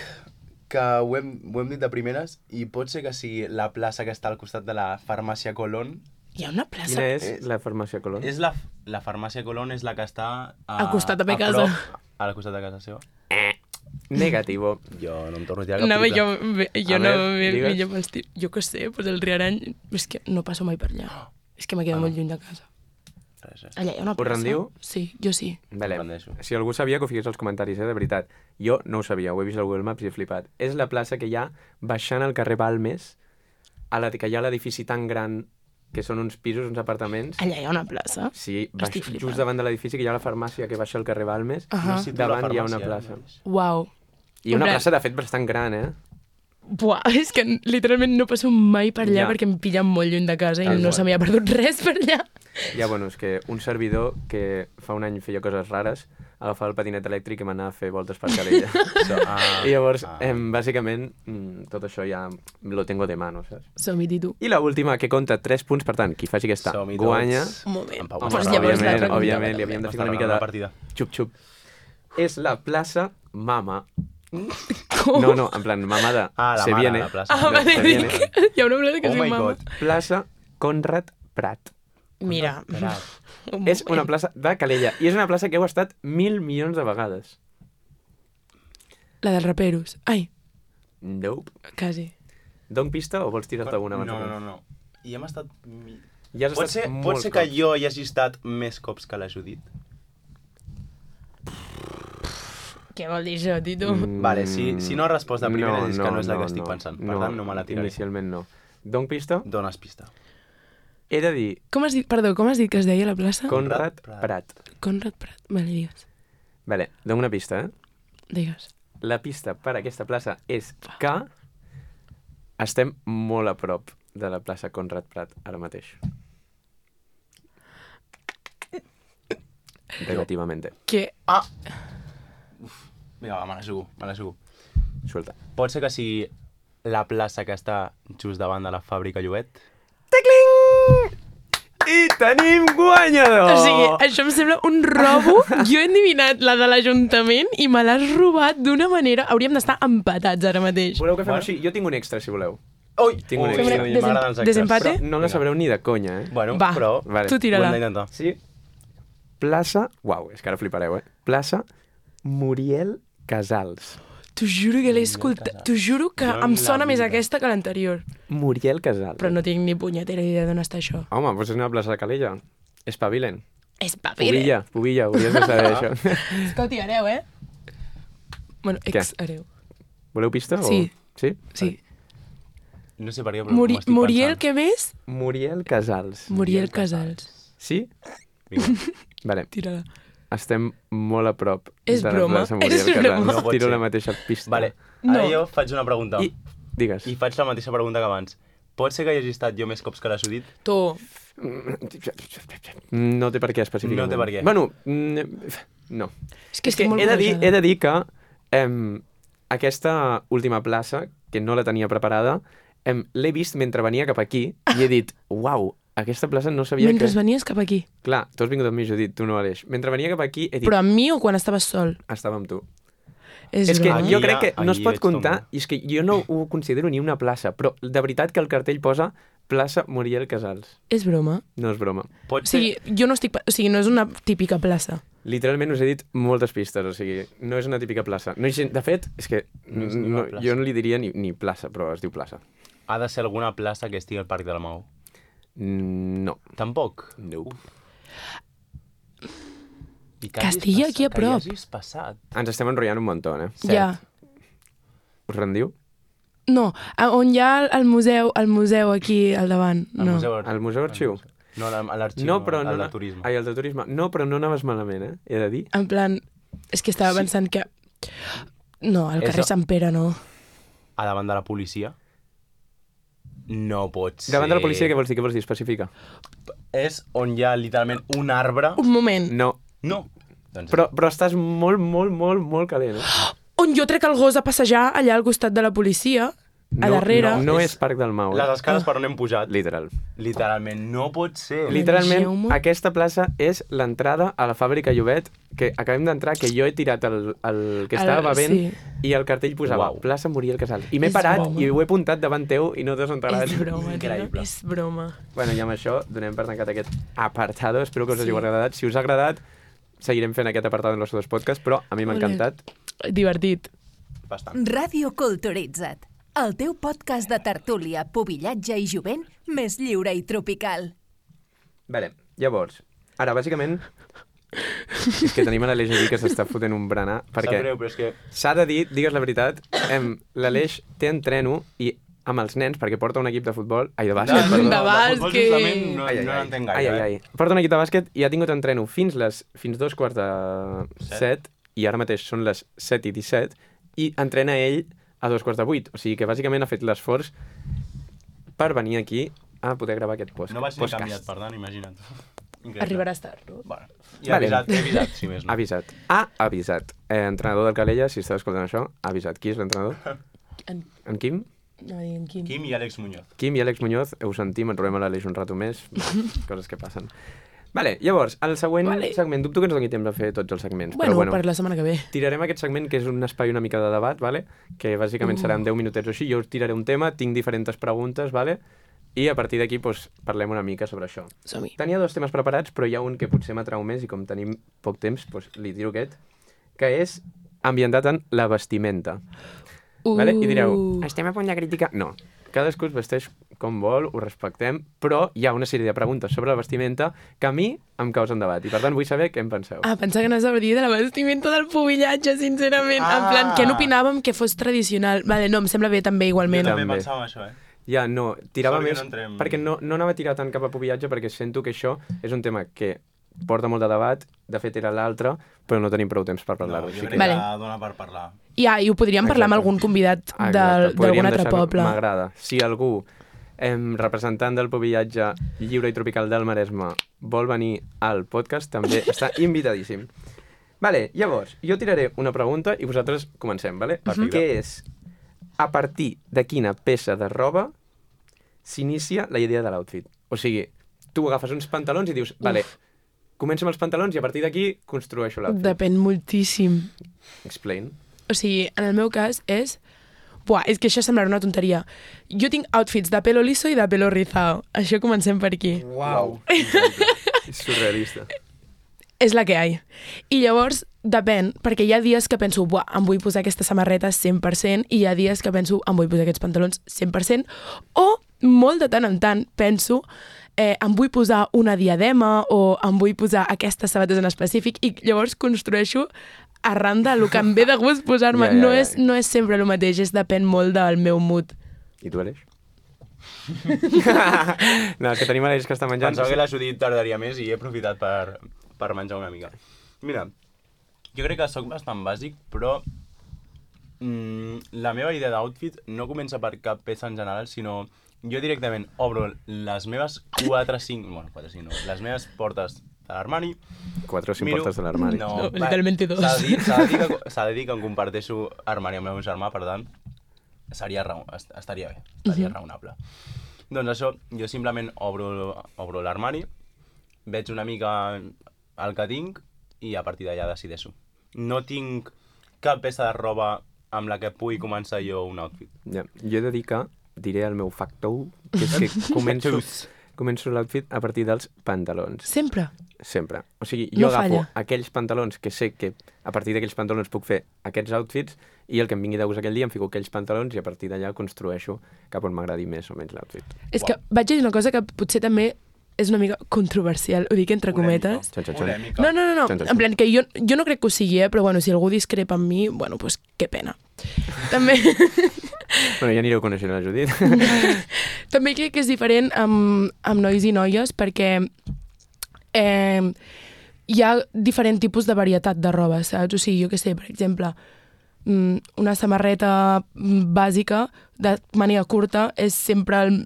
que ho hem, ho hem dit de primeres i pot ser que sigui la plaça que està al costat de la farmàcia Colón. Hi ha una plaça. Quina és És- la farmàcia Colón? És la, la farmàcia Colón és la que està... A, Al costat de ma a casa. prop- al costat de casa seva. Negativo. Jo no em torno a tirar cap No, triple. jo, jo A no veure, me digues. millor me'ls tiro. Jo què sé, doncs el Riarany... És que no passo mai per allà. És que me quedo Ah, no. molt lluny de casa. Res, res. Allà hi ha una Us plaça. rendiu? Sí, jo sí. Vale. Em rendeixo. Si algú sabia, que ho fiqués als comentaris, eh, de veritat. Jo no ho sabia, ho he vist al Google Maps i he flipat. És la plaça que hi ha baixant al carrer Balmes, a la que hi ha l'edifici tan gran, que són uns pisos, uns apartaments. Allà hi ha una plaça. Sí, baix, Estic flipant. just davant de l'edifici, que hi ha la farmàcia que baixa al carrer Balmes. Ahà. No situo la Davant hi ha una farmàcia, plaça. nois. Uau. I una En plan- plaça, de fet, bastant gran, eh? Buah, és que literalment no passo mai per allà Ja. perquè em pillen molt lluny de casa i Tal no qual. se m'hi ha perdut res per allà. Ja, bueno, és que un servidor que fa un any feia coses rares, agafava el patinet elèctric i m'anava a fer voltes per Calella. So, ah, I llavors, ah. em, bàsicament, mm, tot això ja lo tengo de mano, saps? Som-hi, Titu. I la última, que compta tres punts, per tant, qui faci aquesta Som-hi guanya. tots. Un moment. En Pau Pues m'està llavors òbviament, l'altra òbviament, comptava li havíem de M'està ficar una mica regalant de la partida. xup-xup. És la plaça Mama. Com? No, no, en plan, Mama de Ah, la Se mare, viene. la plaça. Ah, vale, Se dic, viene. hi ha una plaça que Oh es diu my Mama. god. Plaça Conrad Prat. Mira. Espera. un És una moment. plaça de Calella. I és una plaça que heu estat mil milions de vegades. La dels raperos. Ai, Nope. quasi. Don pista o vols tirar-te una No, abans? no, de no, temps? no. I hem estat... mi- Ja has Pot estat ser, molt pot ser que cops. jo hi hagi estat més cops que la Judit? Què vol dir això, Titu? Mm, Vale, si- si no has respost de primeres és que no és la que estic pensant. Per tant, no me la tiraré. Inicialment no. Don pista? Dones pista. He de dir Com has dit, perdó, com has dit que es deia la plaça? Conrad Prat. Prat. Conrad Prat. Vale, digues. Vale, dono una pista, eh? Digues. La pista per a aquesta plaça és que estem molt a prop de la plaça Conrad Prat ara mateix. Relativament. Que... Ah! Uf. Vinga, va, me la jugo, me la jugo. Suelta. Pot ser que sigui la plaça que està just davant de la fàbrica Llobet? Tecling! I tenim guanyador! O sigui, això em sembla un robo. Jo he endivinat la de l'Ajuntament i me l'has robat d'una manera... Hauríem d'estar empatats ara mateix. Voleu que fem Bueno. així? Jo tinc un extra, si voleu. Ui! Tinc un Ui, extra. ui, m'agraden els extras. Desempate? Però no la sabreu ni de conya, eh? Bueno, Va, però... Vale. tu Ho hem tira-la. d'intentar. Sí. Plaça... Uau, és que ara flipareu, eh? Plaça Muriel Casals. T'ho juro que l'he escoltat. T'ho juro que Jo en em la sona més vida. aquesta que l'anterior. Muriel Casals. Però no tinc ni punyetera idea d'on està això. Home, doncs és una plaça de Calella. Espavilen. Espavila. Pubilla, Pubilla, hauries de saber això. Escolti, hereu, eh? Bueno, Què? ex-hereu. Voleu pista? Sí. O... Sí? Sí. No sé per què, però Muri m'ho estic Muriel, pensant. què més? Muriel Casals. Muriel Casals. Sí? Vinga. Vale. Tira-la. Estem molt a prop És de la broma, plaça Muriel és Casals. broma. No pot Tiro ser. la mateixa pista. Vale, ara No. jo faig una pregunta. I... Digues. I faig la mateixa pregunta que abans. Pot ser que hi hagi estat jo més cops que la Judit? Tu. No té per què específicament. No té per què. Bueno, mm, no. És que És que estic molt he de dir, barrejada. he de dir que em, aquesta última plaça, que no la tenia preparada, em, l'he vist mentre venia cap aquí i he dit, uau, aquesta plaça no sabia Mentre que... venies cap aquí. Clar, tu has vingut amb mi, Judit, tu no, Aleix. Mentre venia cap aquí, he dit... Però amb mi o quan estaves sol? Estava amb tu. És, És que broma. jo Aquí crec que ja- no es aquí pot veig com comptar, va. i és que jo no ho considero ni una plaça, però de veritat que el cartell posa plaça Muriel Casals. És broma. No és broma. Pot O ser... sigui, jo no estic... pa- O sigui, no és una típica plaça. Literalment us he dit moltes pistes, o sigui, no és una típica plaça. No, hi- de fet, és que No és ni no, una plaça. jo no li diria ni, ni plaça, però es diu plaça. Ha de ser alguna plaça que estigui al Parc de la Mau. Mm, no. Tampoc. No. I Que estigui aquí a prop. Que hi hagis passat. Ens estem enrotllant un muntó, eh? Cert. Ja. Us rendiu? No, a- on hi ha el- el museu, el museu aquí al davant. Al No. Museu Ar- Al Museu Arxiu? No, la- a l'arxiu, No, però no... al de na- turisme. Ai, el de turisme. No, però no anaves malament, eh? He de dir. En plan, és que estava Sí. pensant que... No, al És carrer a- Sant Pere no. A davant de la policia? No pot ser. Davant de la policia, què vols dir? Què vols dir? Especifica. És on hi ha literalment un arbre. Un moment. No. No. Doncs Però, però estàs molt, molt, molt, molt calent, eh? On jo trec el gos a passejar allà al costat de la policia, a No, darrere. No, no És- és Parc del Mau, les eh? escales per on hem pujat. Literal. Literalment, no pot ser. Literalment, Manegeu-me. aquesta plaça és l'entrada a la fàbrica Llobet, que acabem d'entrar, que jo he tirat el, el que estava El- bevent sí. i el cartell posava Uau. plaça Muriel Casals. I m'he És parat broma. i ho he apuntat davant teu i no t'has enterat. És broma, tio. Increïble. És broma. Bueno, i amb això donem per tancat aquest apartado. Espero que us hagi Sí. agradat. Si us ha agradat, seguirem fent aquest apartado en els dos podcasts, però a mi m'ha Ole. encantat. Divertit. Bastant. Ràdio Culturitza't, el teu podcast de tertúlia, pubillatge i jovent més lliure i tropical. Vale, llavors, ara, bàsicament, és que tenim a l'Aleix aquí que s'està fotent un berenar, Sap perquè greu, però és que... s'ha de dir, digues la veritat, em, l'Aleix té entreno i amb els nens, perquè porta un equip de futbol, ai, de bàsquet, De- perdó. de futbol, bàsquet. justament, no, Ai, ai, no ai. n'entenc Ai, gaire. ai, eh? ai. Porta un equip de bàsquet i ha tingut entreno fins les fins dos quarts de Set. set, i ara mateix són les set i disset, i entrena ell a dos quarts de vuit. O sigui que bàsicament ha fet l'esforç per venir aquí a poder gravar aquest post. No vaig ni podcast. canviat, per tant, imagina't. Increïble. Arribaràs tard, no? Bueno, i Vale. he avisat, he avisat, si més Ha no. avisat. Ha avisat. Eh, entrenador del Calella, si estàs escoltant això, ha avisat. Qui és l'entrenador? En, En Quim? no, en Quim. Quim i Àlex Muñoz. Quim i Àlex Muñoz, ho sentim, en trobem a l'Aleix un rato més, coses que passen. Vale, llavors, el següent Vale. segment, dubto que ens doni temps de fer tots els segments, Bueno, però bueno, per la setmana que ve. tirarem aquest segment, que és un espai una mica de debat, vale? Que bàsicament Uh. serà en deu minutets o així, jo us tiraré un tema, tinc diferents preguntes, vale? I a partir d'aquí pues, parlem una mica sobre això. Som-hi. Tenia dos temes preparats, però hi ha un que potser m'atrau més i com tenim poc temps, pues, li tiro aquest, que és ambientat en la vestimenta. Uh. Vale? I direu, estem a punt de criticar? No, cadascú es vesteix com vol, ho respectem, però hi ha una sèrie de preguntes sobre la vestimenta que a mi em causen debat, i per tant vull saber què en penseu. Ah, pensava que anaves a dir de la vestimenta del pubillatge, sincerament. Ah. En plan, que no opinàvem que fos tradicional. Vale, no, em sembla bé també, Jo igualment. també També. pensava això, eh? Ja, no, tirava Sort que més, no entrem- perquè no, no anava a tirar tant cap a pubillatge, perquè sento que això és un tema que porta molt de debat, de fet era l'altre, però no tenim prou temps per No, parlar-ho. jo així crec que... Vale. que dona per parlar. Ja, i ho podríem parlar amb Exacte. algun convidat Ah, del- exacte, podríem d'algun altre deixar-ho- poble. M'agrada. Si algú, em, representant del pubillatge lliure i tropical del Maresme, vol venir al podcast, també està invitadíssim. Vale, llavors, jo tiraré una pregunta i vosaltres comencem, vale? Perfecte. Que és, a partir de quina peça de roba s'inicia la idea de l'outfit? O sigui, tu agafes uns pantalons i dius, vale, comença amb els pantalons i a partir d'aquí construeixo l'outfit. Depèn moltíssim. Explain. O sigui, en el meu cas és... Buah, és que això semblarà una tonteria. Jo tinc outfits de pelo liso i de pelo rizado. Això comencem per aquí. Uau! És surrealista. És la que hi ha. I llavors, depèn, perquè hi ha dies que penso, buah, em vull posar aquesta samarreta cent per cent, i hi ha dies que penso, em vull posar aquests pantalons cent per cent, o molt de tant en tant penso, eh, em vull posar una diadema o em vull posar aquestes sabates en específic, i llavors construeixo arran del que em ve de gust posar-me. Ja, ja, no, ja. és, no és sempre el mateix, és depèn molt del meu mood. I tu, Aleix? No, és que tenim Aleix que està menjant. Pensava que la Judit tardaria més i he aprofitat per, per menjar una mica. Mira, jo crec que sóc bastant bàsic, però mm, la meva idea d'outfit no comença per cap peça en general, sinó jo directament obro les meves quatre cinc... Bueno, quatre cinc no. Les meves portes de l'armari. Quatre o cinc miro- portes de l'armari. No, va, literalment dos. S'ha de, dir, s'ha, de dir que, s'ha de dir que em comparteixo armari amb el meu germà, per tant, seria raó, est- estaria bé, estaria Mhm. raonable. Doncs això, jo simplement obro, obro l'armari, veig una mica el que tinc i a partir d'allà decideixo. No tinc cap peça de roba amb la que pugui començar jo un outfit. Ja. Jo he de dir que diré el meu factor, que és que començo, començo l'outfit a partir dels pantalons. Sempre? Sempre. O sigui, jo No agafo falla. aquells pantalons que sé que a partir d'aquells pantalons puc fer aquests outfits i el que em vingui de gust aquell dia em fico aquells pantalons i a partir d'allà construeixo cap on m'agradi més o menys l'outfit. És que vaig dir una cosa que potser també és una mica controversial, ho dic entre cometes. Xan, xan, xan. Polèmica. No, no, no, no. Xan, xan, xan. En plan, que jo, jo no crec que ho sigui, eh? Però bueno, si algú discrepa amb mi, bueno, doncs pues, que pena. També... Bueno, ja anireu coneixent la Judit. També crec que és diferent amb, amb nois i noies perquè eh, hi ha diferent tipus de varietat de roba, saps? O sigui, jo què sé, per exemple, una samarreta bàsica de màniga curta és sempre el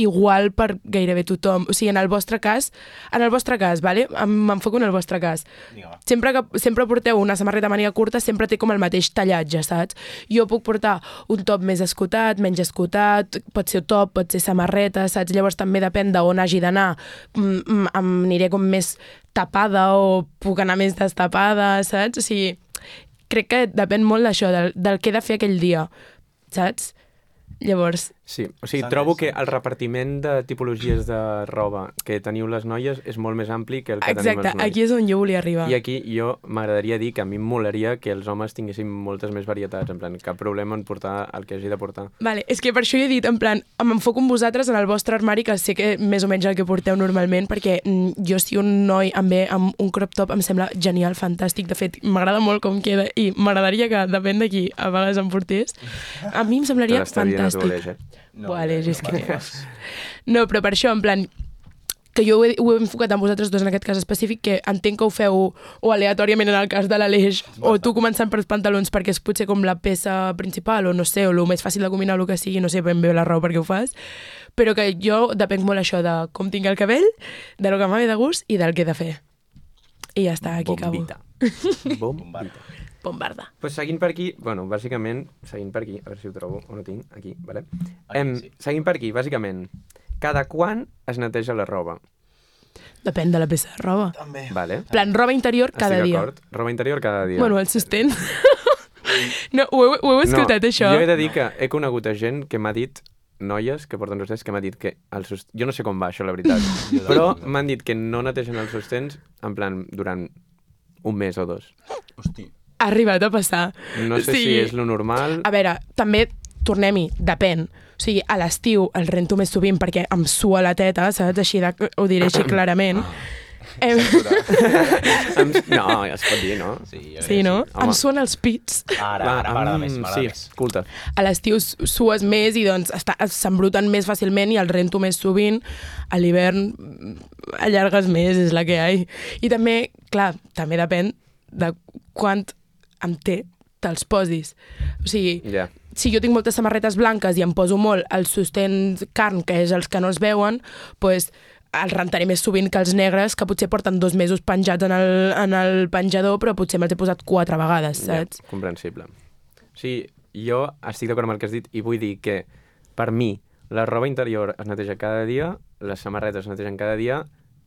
igual per gairebé tothom. O sigui, en el vostre cas, en el vostre cas, vale? M'enfoco en el vostre cas. Sempre que sempre porteu una samarreta màniga curta, sempre té com el mateix tallatge, saps? Jo puc portar un top més escotat, menys escotat, pot ser top, pot ser samarreta, saps? Llavors també depèn d'on hagi d'anar. Em aniré com més tapada o puc anar més destapada, saps? O sigui, crec que depèn molt d'això, del, del que he de fer aquell dia, saps? Llavors... Sí, o sigui, trobo que el repartiment de tipologies de roba que teniu les noies és molt més ampli que el que Exacte, tenim els nois. aquí és on jo volia arribar. I aquí jo m'agradaria dir que a mi em molaria que els homes tinguessin moltes més varietats, en plan, cap problema en portar el que hagi de portar. Vale, és que per això jo he dit, en plan, m'enfoco en vosaltres, en el vostre armari, que sé que més o menys el que porteu normalment, perquè mm, jo si un noi em ve amb un crop top em sembla genial, fantàstic, de fet, m'agrada molt com queda i m'agradaria que, depèn de qui a vegades em portés, a mi em semblaria fantàstic. No, Vale, no, és que... no, No, però per això, en plan, que jo ho he, ho he enfocat amb vosaltres dos en aquest cas específic, que entenc que ho feu o aleatòriament en el cas de l'Aleix, o tu començant pels pantalons perquè és potser com la peça principal, o no sé, o el més fàcil de combinar, el que sigui, no sé ben bé la raó per què ho fas, però que jo depenc molt això de com tinc el cabell, de lo que m'ha de gust i del que he de fer. I ja està, aquí Bombita. acabo. Bombita. Bombarda. Pues seguint per aquí, bueno, bàsicament, seguint per aquí, a veure si ho trobo, o no tinc, aquí, vale? Aquí, Em, sí. Seguint per aquí, bàsicament, cada quan es neteja la roba? Depèn de la peça de roba. També. Vale? Plan, roba interior cada Estic dia. d'acord. Roba interior cada dia. Bueno, el sostén. No, ho heu, ho heu escoltat, no, això? Jo he de dir que he conegut a gent que m'ha dit, noies que porten sostens, que m'ha dit que el sostens... Jo no sé com va això, la veritat, però m'han dit que no netegen els sostens en plan durant un mes o dos. Hosti. Ha arribat a passar. No sé Sí. si és lo normal... A veure, també, tornem-hi, depèn. O sigui, a l'estiu el rento més sovint perquè em sua la teta, saps? Així de, ho diré així clarament. Em... Em... No, ja es pot dir, no? Sí, jo Sí, no? Home. Em suen els pits. Ara, ara m'agrada més, m'agrada Sí, més. escolta. A l'estiu sues més i doncs està- s'embruten més fàcilment i el rento més sovint. A l'hivern mm, allargues més, és la que hi ha. I també, clar, també depèn de quant em té te'ls posis. O sigui, Ja. si jo tinc moltes samarretes blanques i em poso molt els sostens carn, que és els que no es veuen, doncs els rentaré més sovint que els negres, que potser porten dos mesos penjats en el, en el penjador, però potser me'ls he posat quatre vegades, saps? Ja, comprensible. O sigui, jo estic d'acord amb el que has dit i vull dir que, per mi, la roba interior es neteja cada dia, les samarretes es netegen cada dia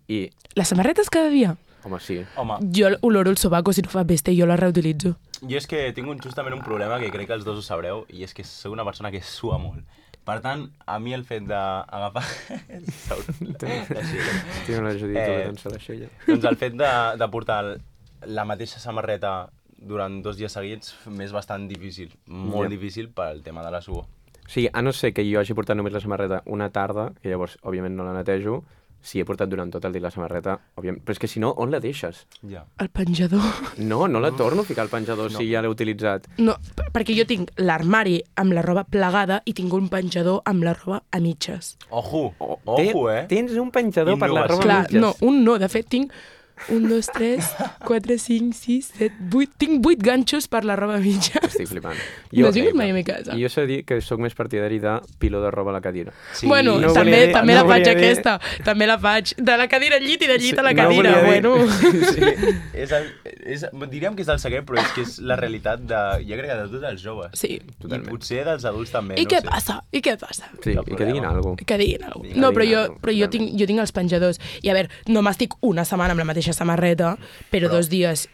i... Les samarretes cada dia? Home, sí. Home, Jo oloro el sobaco si no fa pesta i jo la reutilitzo. jo és que tinc un, justament un problema que crec que els dos ho sabreu, i és que sóc una persona que sua molt. Per tant, a mi el fet d'agafar... Estic la Judit Eh, eh... la xella. doncs el fet de, de portar la mateixa samarreta durant dos dies seguits m'és bastant difícil, molt Ja. difícil pel tema de la suor. O sigui, a no ser que jo hagi portat només la samarreta una tarda, que llavors, òbviament, no la netejo, si he portat durant tot el dia la samarreta, òbviament... Però és que si no, on la deixes? Ja. El penjador. No, no la torno a ficar al penjador no. si ja l'he utilitzat. No, p- perquè jo tinc l'armari amb la roba plegada i tinc un penjador amb la roba a mitges. Ojo, Oh, ojo, eh? Tens un penjador per la Innovació. roba Clar, mitges. no, un no. De fet, tinc un, dos, tres, quatre, cinc, sis, set, vuit... Tinc vuit ganxos per la roba mitja. Estic flipant. No has vingut mai a mi casa? I jo sé dir que sóc més partidari de piló de roba a la cadira. Sí. Bueno, no també, volia dir- també no la faig volia dir- aquesta. També la faig. De la cadira al llit i de llit Sí, a la no cadira. volia dir- Bueno. Sí. És el, és, diríem que és el secret, però és que és la realitat de, jo crec que de tots els joves. Sí. Totalment. I potser dels adults també, I no què sé. passa? I què passa? Sí, Cap i que diguin problema. alguna cosa. Que diguin alguna Que cosa. No, però diguin jo, alguna però jo, cosa, tinc, jo tinc els penjadors. I a veure, no m'estic una setmana amb la mateixa samarreta, però, Però- dos dies.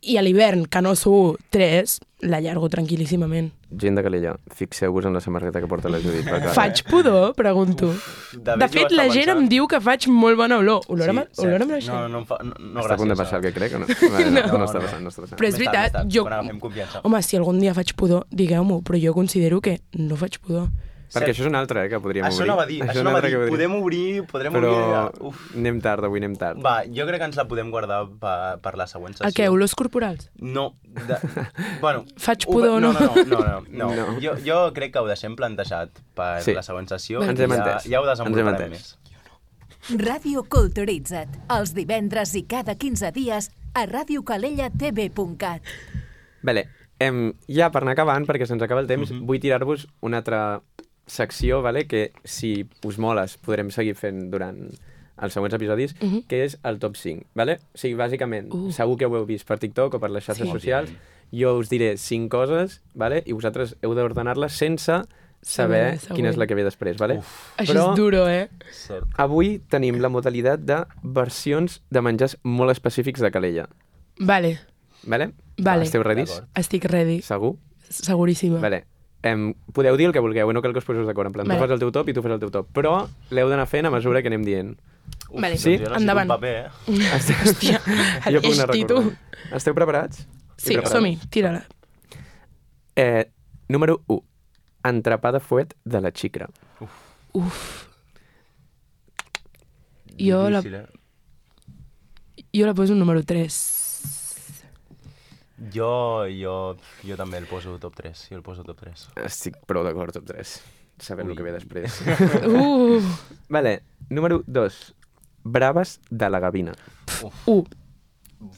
I a l'hivern, que no sou tres, l'allargo tranquil·líssimament. Gent de Calella, fixeu-vos en la samarreta que porta la Judit. perquè- Faig pudor, pregunto. De De fet, la gent em diu que faig molt bona olor. Olor, Sí, a, cert. olor a maixer. No, no, em fa, no, no Està a punt de gràcies, passar el eh? que crec o no? Vale, no, no, No, està no. passant, no està passant. Però és Més tard, veritat, més tard, jo... quan agafem confiança. Home, si algun dia faig pudor, digueu-m'ho, però jo considero que no faig pudor. Perquè això és un altre, eh, que podríem Això obrir. anava a dir, és això un anava a altre dir. que podríem- Podem obrir, podrem Però obrir... Uf. anem tard, avui anem tard. Va, jo crec que ens la podem guardar per, per la següent sessió. El què, olors corporals? No, de, bueno... Faig ho- pudor o no? No, no, no, no, no, No. no. Jo, jo crec que ho deixem plantejat per Sí. la següent sessió. Ens i hem ja, entès. ja ho Ens hem desenvoluparem entès. més. Ràdio Culturitza't, els divendres i cada quinze dies a radio calella t v punt cat. Vale, em, ja per anar acabant, perquè se'ns acaba el temps, Mhm. vull tirar-vos una altra secció, vale, que si us moles podrem seguir fent durant els següents episodis, Mhm. que és el top cinc. Vale? O sigui, bàsicament, Uh. segur que ho heu vist per TikTok o per les xarxes Sí. socials, jo us diré cinc coses, vale? I vosaltres heu d'ordenar-les sense saber Saber, quina és següent. la que ve després. Vale? Uf. Això Però- és duro, eh? Cert. Avui tenim la modalitat de versions de menjars molt específics de Calella. Vale, Vale? Vale. Esteu redis? D'acord. estic ready, Segur? seguríssima. Vale. Em, podeu dir el que vulgueu, no cal que us poseu d'acord. En plan, Vale. tu fas el teu top i tu fas el teu top. Però l'heu d'anar fent a mesura que anem dient. Uf, Vale. doncs Sí? jo necessito Endavant. un paper, eh? Hòstia, Jo puc anar esti tu. recordant. Esteu preparats? Sí, preparats? som-hi, tira-la. Eh, número u. Entrepà de fuet de la xicra. Uf. Jo la, Difícil, eh? jo la poso un número tres. Jo, jo, jo també el poso top tres. Jo el poso top tres. Estic prou d'acord, top tres. Sabem Ui. el que ve després. Uh, Vale. Número dos. Braves de la gavina. uh,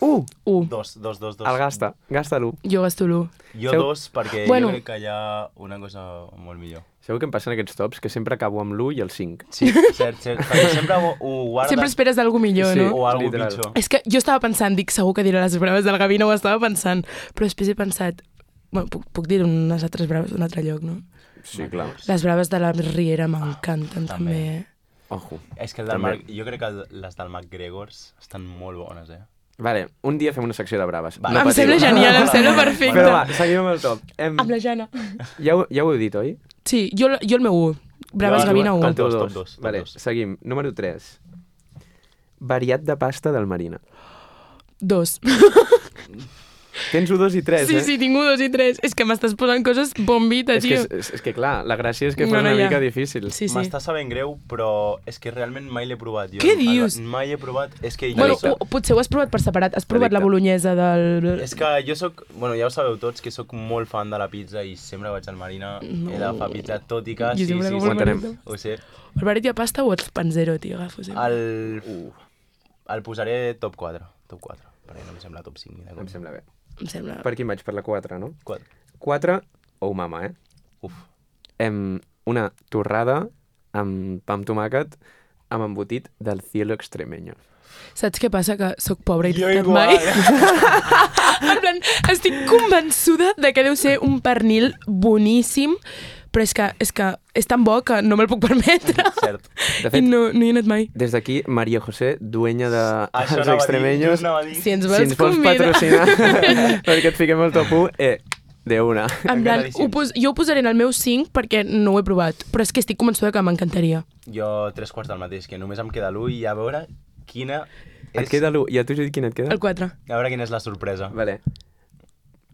Uh! uh. Dos, dos, dos, dos. El gasta. Gasta l'u. Jo gasto l'u. Jo Seu- dos, perquè Bueno. jo crec que hi ha una cosa molt millor. Sabeu què em passa en aquests tops? Que sempre acabo amb l'u i el cinc. Sí, cert, cert. Perquè sempre ho, ho guardes... Sempre esperes alguna millor, Sí. no? O algo Literal. pitjor. És que jo estava pensant, dic, segur que diré les braves de la gavina, ho estava pensant, però després he pensat, bueno, puc, puc dir unes altres braves d'un altre lloc, no? Sí, clar. Les braves de la Riera m'encanten, també. també. Ojo. És que el del També. Marc, jo crec que el- les del McGregors estan molt bones, eh? Vale, un dia fem una secció de braves. Va. Em patiu. sembla genial, em sembla perfecte. Però va, seguim amb el top. Em, Amb la Jana. ja, ho, ja ho heu dit, oi? Sí, jo, jo el meu u. Braves Jo- Gavina u. El teu dos, dos. top dos, top Vale, dos. seguim. Número tres. Variat de pasta del Marina. Dos. Tens un, dos i tres, Sí, eh? sí, tinc un, dos i tres. És que m'estàs posant coses bombita, És que, tio. és, és, és que clar, la gràcia és que fos No, no, una ja. mica difícil. Sí, sí. M'està sabent greu, però és que realment mai l'he provat. Jo, Què el- dius? Mai he provat. És que jo Bueno, Addicte. o, potser ho has provat per separat. Has provat Addicte. la bolognesa del... És que jo sóc, bueno, ja ho sabeu tots, que sóc molt fan de la pizza i sempre que vaig al Marina No. he d'agafar pizza, tot i que Jo sí, sempre sí, agafo el sí, Marina. ho sé. El baret de pasta o el panzero, tio, agafo sempre. El, el posaré top quatre, top quatre, perquè no em sembla top cinc ni de Em com. sembla bé. Em sembla... Per quin vaig? Per la quatre, no? quatre. quatre, oh mama, eh? Uf. Em, una torrada amb pa amb tomàquet amb embotit del cielo extremeño. Saps què passa? Que sóc pobra i Jo no he estat igual. mai. En plan, estic convençuda de que deu ser un pernil boníssim, però és que és, que és tan bo que no me'l puc permetre. Cert. De I fet, no, no hi he anat mai. des d'aquí, María José, dueña de Això els anava a dir, extremeños, just anava a dir. Si ens si vols ens vols convidar... patrocinar perquè et fiquem el top u, eh, de una. En plan, Encantadíssims. ho pos, jo ho posaré en el meu cinc perquè no ho he provat, però és que estic convençuda que m'encantaria. Jo tres quarts del mateix, que només em queda l'u i a veure quina és... Et queda l'u. I a tu, Judit, quin et queda? El quatre. A veure quina és la sorpresa. Vale.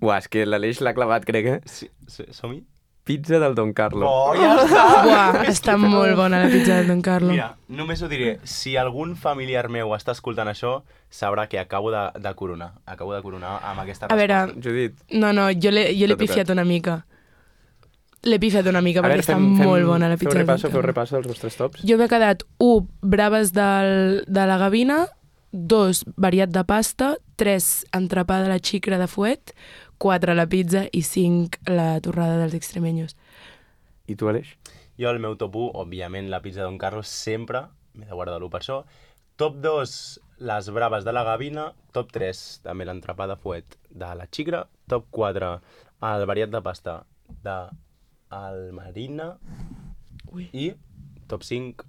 Uah, és que l'Aleix l'ha clavat, crec, eh? Sí, sí, som-hi? Pizza del Don Carlo. Oh, ja està! Buah, està molt bona la pizza del Don Carlo. Mira, només ho diré, si algun familiar meu està escoltant això, sabrà que acabo de, de coronar. Acabo de coronar amb aquesta A veure, resposta. Judit, no, no, jo l'he jo l'he T'ha tocat. pifiat una mica. L'he pifiat una mica a perquè veure, està fem, fem, molt bona la feu pizza del repasso, Don feu Carlo. repasso dels vostres tops. Jo m'he quedat u, braves del, de la gavina, dos, variat de pasta, tres, entrepà de la xicra de fuet, quatre, la pizza i cinc, la torrada dels extremeños. I tu, Aleix? Jo el meu top u, òbviament la pizza Don Carlos sempre, m'he de guardar l'u per això. Top dos, les braves de la Gavina, top tres, també l'entrepà de fuet de la Xigra, top quatre, el variat de pasta de el Marina Ui. i top cinc,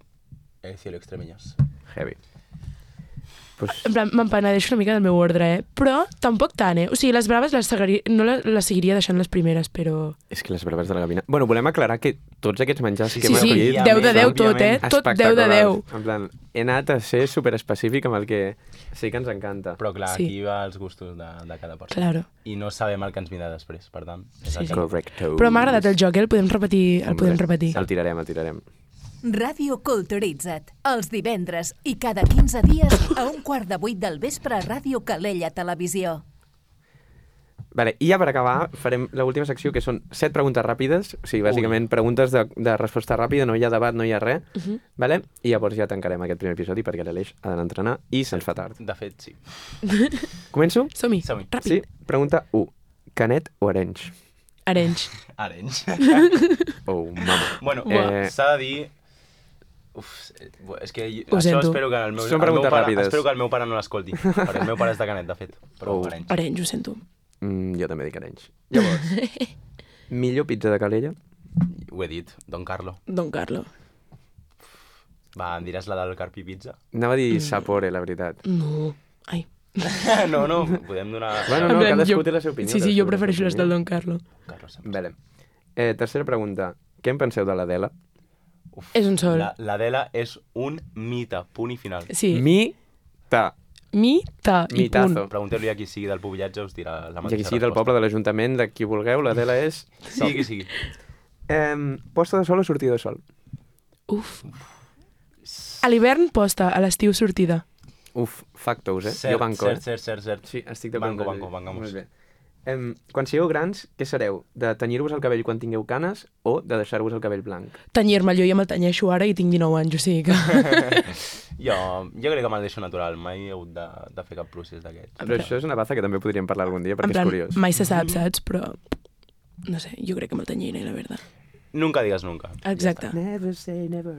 el Cielo Extremeñas. Heavy. Pues... En plan, m'empenedeixo una mica del meu ordre, eh? Però tampoc tant, eh? O sigui, les braves les seguiria, no les, les seguiria deixant les primeres, però... És que les braves de la Gavina... Bueno, volem aclarar que tots aquests menjars Sí, que Sí, hem sí, escollit deu de deu òbviament, tot, eh? Tot deu de deu. espectaculars. En plan, he anat a ser superespecífic amb el que sí que ens encanta. Però clar, Sí. aquí va els gustos de, de cada persona. Claro. I no sabem el que ens vindrà després, per tant. És Sí, el sí. que... Correcto. Però m'ha agradat el joc, eh? El podem repetir. El podem repetir. El tirarem, el tirarem. Ràdio Culturitza't, els divendres i cada quinze dies a un quart de vuit del vespre a Ràdio Calella Televisió. Vale, i ja per acabar farem l'última secció, que són set preguntes ràpides, o sigui, bàsicament preguntes de, de resposta ràpida, no hi ha debat, no hi ha res, uh -huh. vale? I llavors ja tancarem aquest primer episodi perquè l'Aleix ha d'anar a entrenar i se'ns fa tard. De fet, sí. Començo? Som-hi. Som-hi. Ràpid. Sí, pregunta u. Canet o Arenys? Arenys. Arenys. Oh, mama. bueno, Buah. eh, s'ha de dir... Uf, eh, és que jo- Ho això sento. espero que el meu, Són el meu preguntes pare, ràpides. espero que el meu pare no l'escolti, perquè el meu pare és de Canet, de fet, però Oh. Arenys. Arenys, ho sento. Mm, jo també dic Arenys. Llavors, millor pizza de Calella? Ho he dit, Don Carlo. Don Carlo. Va, em diràs la del Carpi Pizza? Anava a dir Sapore, la veritat. No. Ai. no, no, podem donar... Bueno, no, En plan, cadascú jo- té la seva opinió. Sí, sí, cadascú jo té la prefereixo seva les del opinió. Don Carlo. Carlo sempre. Vale. Eh, tercera pregunta. Què en penseu de l'Adela? Uf, És un sol. La- L'Adela és un mite, punt i final. Sí. Mi-ta. Mi, ta i Mitazo. punt. Pregunteu-li a qui sigui del Pobillatge, us dirà la I mateixa aquí sigui del resposta. poble, de l'Ajuntament, de qui vulgueu, l'Adela és... Sigui qui sigui. Eh, posta de sol o sortida de sol? Uf. A l'hivern, posta. A l'estiu, sortida. Uf, factos, eh? Cert, jo banco, cert, eh? cert, cert, cert. Sí, estic d'acord. Banco, amb banco, ell. bancamos. Molt bé. Em, quan sigueu grans, què sereu? De tenyir-vos el cabell quan tingueu canes o de deixar-vos el cabell blanc? Tenyir-me, jo ja me'l tenyeixo ara i tinc dinou anys, o sigui que... Jo, jo crec que me'l deixo natural, mai he hagut de, de fer cap procés d'aquests. Però això és una baza que també podríem parlar algun dia En perquè plan, és curiós. mai se sap, saps? Però, no sé, jo crec que me'l tenyiré, la veritat. Nunca digues nunca. Exacte. Never say never.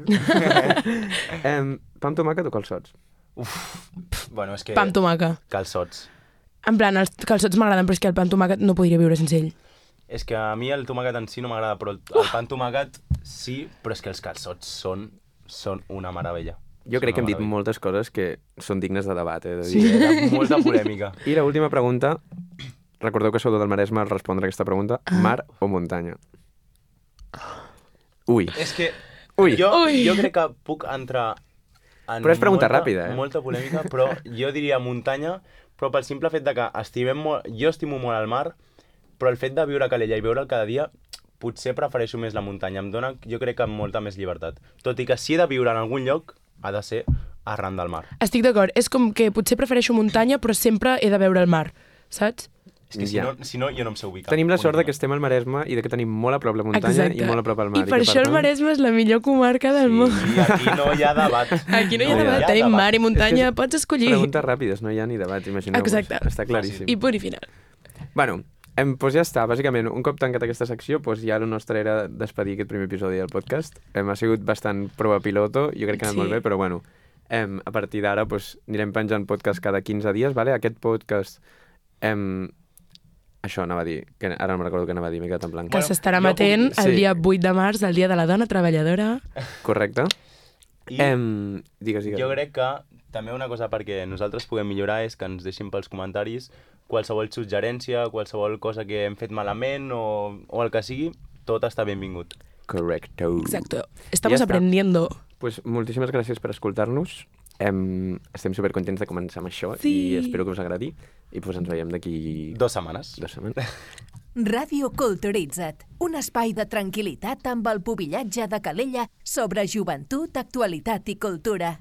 em, pa amb tomàquet o calçots? Bueno, és que... Pa amb tomaca. Calçots. En plan, els calçots m'agraden, però és que el pa amb tomàquet no podria viure sense ell. És que a mi el tomàquet en si no m'agrada, però el, el pa amb tomàquet sí, però és que els calçots són, són una meravella. Jo crec que hem dit meravella. moltes coses que són dignes de debat, eh? De dir. Sí, era molta polèmica. I l'última pregunta, recordeu que sou del Maresme al respondre aquesta pregunta, mar o muntanya? Ui. És que Ui. jo, Ui. jo crec que puc entrar en Però és pregunta molta, ràpida, eh? molta polèmica, però jo diria muntanya, però pel simple fet de que estimem molt, jo estimo molt el mar, però el fet de viure a Calella i veure'l cada dia, potser prefereixo més la muntanya. Em dona, jo crec que molta més llibertat. Tot i que si he de viure en algun lloc, ha de ser arran del mar. Estic d'acord. És com que potser prefereixo muntanya, però sempre he de veure el mar, saps? És que si, Ja. no, si no, jo no em sé ubicar. Tenim la sort de Punt que estem al Maresme i de que tenim molt a prop la muntanya Exacte. i molt a prop el mar. I per que, això el tant, Maresme és la millor comarca del món. Sí, aquí no hi ha debat. Aquí no hi ha No hi ha debat. debat. Tenim mar i muntanya, És que pots escollir. Preguntes ràpides, no hi ha ni debat, imagineu-vos. Exacte. Està claríssim. I punt i final. Bueno, em, doncs ja està, bàsicament, un cop tancat aquesta secció, doncs ja el nostre era despedir aquest primer episodi del podcast. Em, ha sigut bastant prova piloto, jo crec que ha anat Sí. molt bé, però bueno, em, a partir d'ara doncs, anirem penjant podcast cada quinze dies, vale? Aquest podcast, em, això anava a dir, que ara no me'n recordo què anava a dir, m'he quedat en blanc. Que Bueno, s'estarà jo puc- emetent el sí. dia vuit de març, el dia de la dona treballadora. Correcte? I Em, digues, digues. jo crec que també una cosa perquè nosaltres puguem millorar és que ens deixin pels comentaris qualsevol suggerència, qualsevol cosa que hem fet malament o, o el que sigui, tot està benvingut. Correcto. Exacto. Estamos Ja està. aprendiendo. Pues moltíssimes gràcies per escoltar-nos. Em, estem supercontents de començar amb això Sí. i espero que us agradi. I pues ens veiem d'aquí Dos setmanes. dues setmanes. Ràdio Culturitza't, un espai de tranquil·litat amb el pubillatge de Calella sobre joventut, actualitat i cultura.